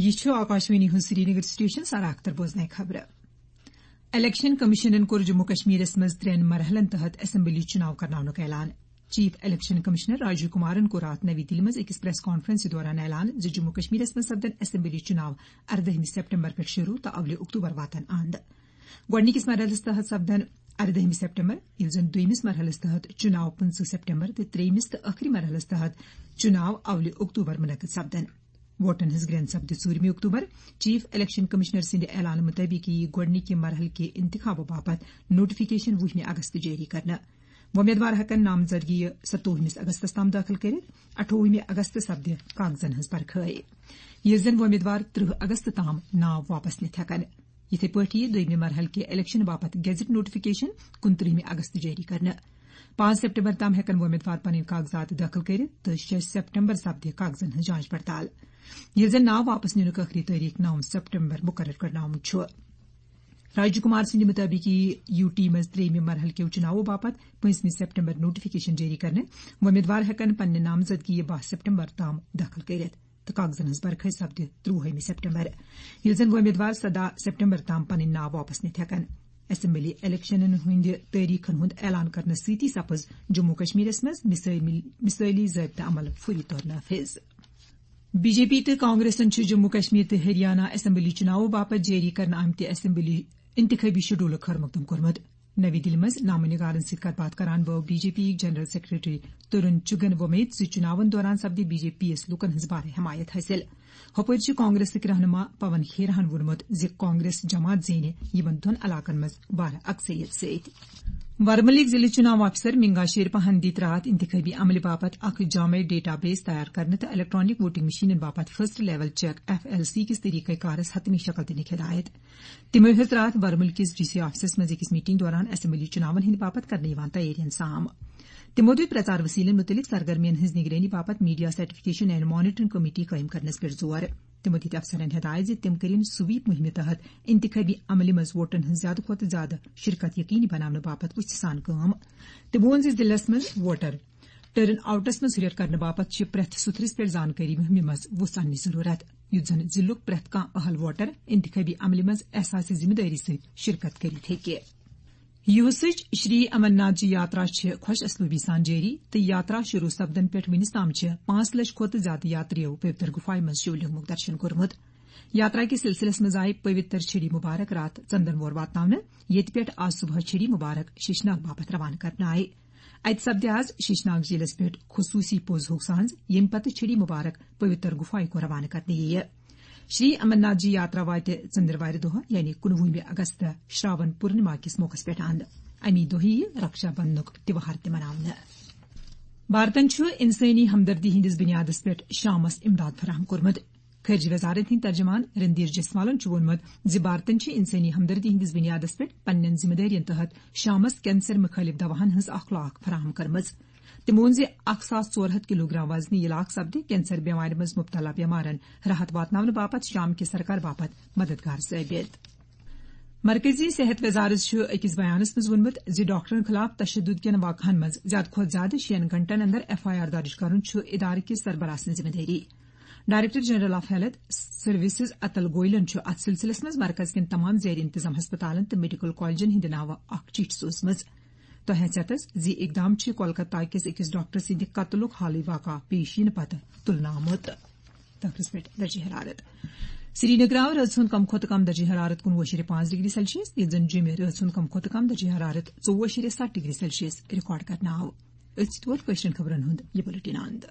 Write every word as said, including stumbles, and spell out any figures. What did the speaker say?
یہِ چھُ آکاشوانی ہُنٛد سرینگر سٹیشن، سر اختر بوزنہٕ خبرٕ۔ الیکشن کمیشنن کوٚر جموں کشمیرس منٛز ترٛٮ۪ن مرحلن تحت اسمبلی چُناو کرناونُک اعلان۔ Chief election commissioner Rajiv Kumaran کوٚر راتھ نوی دِلہِ منٛز أکِس پریس کانفرنسہِ دوران اعلان زِ جموں کشمیرس منٛز سپدن اسمبلی چُناو اردٲہمہِ سپٹمبر پٮ۪ٹھ شروع تہٕ اولہِ اکتوبر واتن اند۔ گۄڈٕنِکِس مرحلس تحت سپدن اردٲہمہِ سپٹمبر، ییٚلہِ زن دوٚیمِس مرحلس تحت چُناو پٕنٛژٕہ سپٹمبر تہٕ ترٛیٚیمِس تہٕ ٲخری مرحلس تحت چُناو اولہِ اکتوبر منعقد سپدن۔ ووٹن ہٕنٛز گرٛینٛد سپدِ ژوٗرمہِ اکتوبر۔ چیف الیکشن کمشنر سٕنٛدِ اعلانہٕ مُطٲبِق یِیہِ گۄڈٕنِکہِ مرحلہٕ کہِ انتخابہٕ باپتھ نوٹیفکیشن وُہمہِ اگست جٲری کرنہٕ۔ وۄمیدوار ہٮ۪کن نامزدگی ستووُہمِس اگستس تام دٲخل کٔرِتھ۔ اٹھووُہمہِ اگست سپدِ کاغذن ہٕنٛز پرکھٲے، ییٚلہِ زن وۄمیدوار ترٕہ اگست تام ناو واپس نِتھ ہٮ۪کن۔ یِتھے پٲٹھۍ یِیہِ دوٚیمہِ مرحلہٕ کہِ الیکشن باپتھ گیزٹ نوٹیفکیشن کُنترٕہمہِ اگست جٲری کرنہٕ۔ پانٛژھ سپٹمبر تام ہٮ۪کن وۄمیدوار پنٕنۍ کاغذات دٲخل کٔرِتھ تہٕ شےٚ سپٹمبر سپدِ کاغذن ہٕنٛز جانچ پڑتال، ییٚلہِ زن ناو واپس نِنُک ٲخری تٲریخ نو سپٹمبر مقرر کرنہٕ آمُت چھُ۔ راجیو کمار سٕنٛدِ مُطٲبِق یِیہِ یو ٹی منٛز ترٛیٚیمہِ مرحلہٕ کیو چُناوو باپتھ پٲنٛژمہِ سپٹمبر نوٹیفکیشن جٲری کرنہٕ۔ وۄمیدوار ہٮ۪کن پننہِ نامزدگی باہ سپٹمبر تام دٲخل کٔرِتھ تہٕ کاغذن ہٕنٛز پرکھٲے سپدِ ترٛوُہمہِ سپٹمبر، ییٚلہِ زن وۄمیدوار سداہ سپٹمبر تام پنٕنۍ ناو واپس نِتھ ہٮ۪کن۔ اسمبلی الیکشنن ہٕنٛدِ تٲریخن ہُنٛد اعلان کرنہٕ سۭتی سپٕز جموں کشمیرس منٛز مثٲلی، مثٲلی ضٲبطہٕ عمل فوری طور نافذ۔ بی جے پی تہٕ کانگریسن چھُ جموں کشمیر تہٕ ہریانہ اسمبلی چُناوو باپتھ جٲری کرنہٕ آمتہِ اسمبلی انتخابی شیڈولُک خٲر مقدم کوٚرمُت۔ نوی دِلہِ منٛز نامہ نگارن سۭتۍ کتھ باتھ کران بٲو بی جے پی یِکۍ جنرل سیکرٹری ترون چُگن وۄمید زِ چُناون دوران سپدِ بی جے پی یَس لوٗکن ہٕنٛز بارٕ حمایت حٲصِل۔ ہُپٲرۍ چھِ کانگریسٕکۍ رہنما پون کھیرہن ووٚنمُت زِ کانگریس جماعت زینہِ یِمن دۄن علاقن منٛز بارٕ اکثریت سۭتۍ۔ ورمُلٕکۍ ضلعہٕ چُناو افسر منگا شیرپاہن دِتۍ راتھ انتخابی عملہِ باپتھ اکھ جامع ڈیٹا بیس تیار کرنہٕ تہٕ الیکٹرانک ووٹنگ مشینن باپتھ first level check, F L C, کِس طریقہ کارس حتمی شکل دِنٕچ ہدایت۔ تِمو ہیٚژ راتھ ورمُل کِس ڈی سی آفسس منٛز أکِس میٹنگ دوران اسمبلی چُناون ہٕنٛدِ باپتھ کرنہٕ یِوان تیٲرین سام۔ تِمو دِتۍ پرچار وسیلن مُتعلق سرگرمین ہٕنٛز نگرٲنی باپتھ media certification and monitoring committee قٲیِم کرنس پٮ۪ٹھ زور۔ تِمو دِتۍ افسرن ہدایت زِ تِم کٔرِن سویپ مُہِمہِ تحت انتخابی عملہِ منٛز ووٹن ہٕنٛز زیادٕ کھۄتہٕ زیادٕ شرکت یقینی بناونہٕ باپتھ وُژھِ سان کٲم۔ تِمو ووٚن زِ ضلعس منٛز ووٹر ٹرن آؤٹس منٛز ہُرٮ۪ر کرنہٕ باپتھ چھِ پرٛٮ۪تھ سُتھرِس پٮ۪ٹھ زانکٲری مُہِمہِ منٛز وُژھ اننٕچ ضروٗرت، یُتھ زن ضلعُک پرٛٮ۪تھ کانٛہہ اہل ووٹر انتخابی عملہِ منٛز احساس ذمہٕ دٲری سۭتۍ شرکت کٔرِتھ ہیٚکہِ۔ یُہُسٕچ شری امرناتھ جی یاترا چھِ خۄش اسلوبی سان جٲری تہٕ یاترا شروع سپدن پٮ۪ٹھ وُنِس تام چھِ پانٛژھ لچھ کھۄتہٕ زیادٕ یاترِیو پویتر گُفایہِ منٛز شِولنگُک درشن کوٚرمُت۔ یاترا کِس سلسلس منٛز آیہِ پویتر چھڑی مبارک راتھ ژندن وور واتناونہٕ، ییٚتہِ پٮ۪ٹھ آز صبحٲے چھڑی مبارک شیشناگ باپتھ روانہٕ کرنہٕ آیہِ۔ اتہِ سپدِ آز شیشناگ جھیلس پٮ۪ٹھ خصوصی پوز ہوگ سانز، ییٚمہِ پتہٕ چھڑی مبارک پویتر گُفایہِ کُن روانہٕ کرنہٕ یِیہِ۔ شری امرناتھ جی یاترا واتہِ ژٔنٛدٕروارِ دۄہ، یعنی کُنوُہمہِ اگست، شراون پورنما کِس موقعس پٮ۪ٹھ اند۔ امی دۄہ یِیہِ رکشا بندھنُک تہوار تہِ مناونہٕ۔ بھارتن چھُ انسٲنی ہمدردی ہٕنٛدِس بُنیادس پٮ۪ٹھ شامس امداد فراہم کوٚرمُت۔ خارجہ وزارت ہٕنٛدۍ ترجمان رندیر جسوالن چھُ ووٚنمُت زِ بھارتن چھِ انسٲنی ہمدردی ہٕنٛدِس بُنیادس پٮ۪ٹھ پننٮ۪ن ذمہٕ دٲرین تحت شامس کینسر مُخٲلف دواہن ہٕنٛز اکھ لاکھ فراہم کٔرمٕژ۔ تٔمۍ ووٚن زِ اکھ ساس ژور ہتھ کلوگرام وزنی علاقہٕ سپدِ کینسر بٮ۪مارِ منٛز مبتلا بٮ۪مارن راحت واتناونہٕ باپتھ شام کہِ سرکار باپتھ مددگار ثٲبت۔ مرکزی صحت وزارت چھُ أکِس بیانس منٛز ووٚنمُت زِ ڈاکٹرن خلاف تشدد کٮ۪ن واقعن منٛز زیادٕ کھۄتہٕ زیادٕ شیٚن گھنٹن اندر ایف آئی آر درج کرُن چھُ ادارٕ کِس سربراہ سٕنٛز ذمہٕ دٲری۔ Director general of health services Atul گوئلن چھُ اتھ سلسلس منٛز مرکز کٮ۪ن تمام زیر انتظام ہسپتالن تہٕ میڈیکل کالجن ہٕنٛدِ ناوٕ اکھ چِٹھۍ سوٗزمٕژ۔ تۄہہِ ہیٚژ اتھس زِ اقدام چھُ کولکتہ کِس أکِس ڈاکٹر سٕنٛدِ قتلُک حالٕے واقعہ پیش یِنہٕ پتہٕ تُلنہٕ آمُت۔ تخرس پٮ۪ٹھ درجہ حرارت۔ سرینگر آو رٲژ ہُنٛد کم کھۄتہٕ کم درجہ حرارت کُنوُہ شیٚرِ پانٛژھ ڈگری سیلسیس، ییٚلہِ زن جوٚمہِ رٲژ ہُنٛد کم کھۄتہٕ کم درجہ حرارت ژوٚوُہ شیٚرِ ستھ ڈگری سیلسیس ریکارڈ کرنہٕ آو۔ أتھۍ سۭتۍ ووت کٲشرٮ۪ن خبرن ہُنٛد یہِ بُلٹن اند۔